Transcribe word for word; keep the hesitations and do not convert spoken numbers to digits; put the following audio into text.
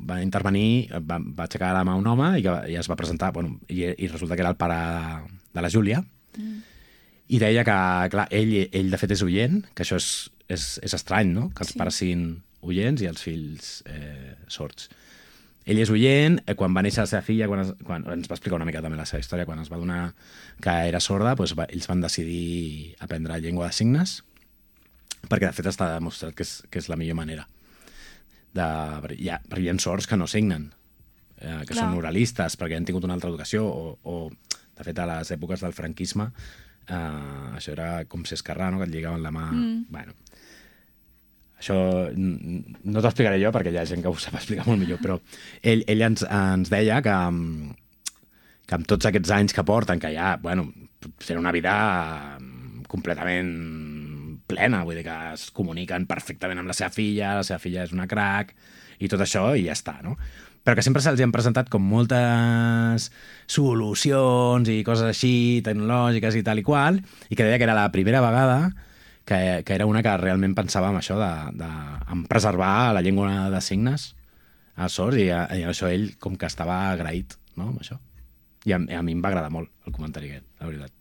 va intervenir, va, va aixecar la mà un home i, que, i es va presentar, bueno, i, i resulta que era el pare de la Júlia, mm. i deia que, clar, ell, ell de fet és oient, que això és, és, és estrany, no?, que els sí. pares siguin oients i els fills eh, sords. Ell és oient, eh, quan va néixer la seva filla, quan, es, quan ens va explicar una mica també la seva història, quan es va donar que era sorda, doncs va, ells van decidir aprendre llengua de signes, perquè de fet està demostrat que és, que és la millor manera. De, hi, ha, hi ha sords que no signen, eh, que Clar. Són oralistes, perquè han tingut una altra educació, o, o de fet a les èpoques del franquisme, eh, això era com ser esquerrà, no?, que et lligaven la mà... Mm. Bueno, això no t'ho explicaré jo perquè hi ha gent que ho sap explicar molt millor, però ell, ell ens, ens deia que, que amb tots aquests anys que porten, que ja, bueno, serà una vida completament plena, vull dir que es comuniquen perfectament amb la seva filla, la seva filla és una crac, i tot això, i ja està, no? Però que sempre se'ls han presentat com moltes solucions i coses així, tecnològiques i tal i qual, i que deia que era la primera vegada que, que era una que realment pensava en això de, de en preservar la llengua de signes als sords, i, i això ell com que estava agraït, no?, amb això. I a, a mi em va agradar molt el comentari aquest, la veritat.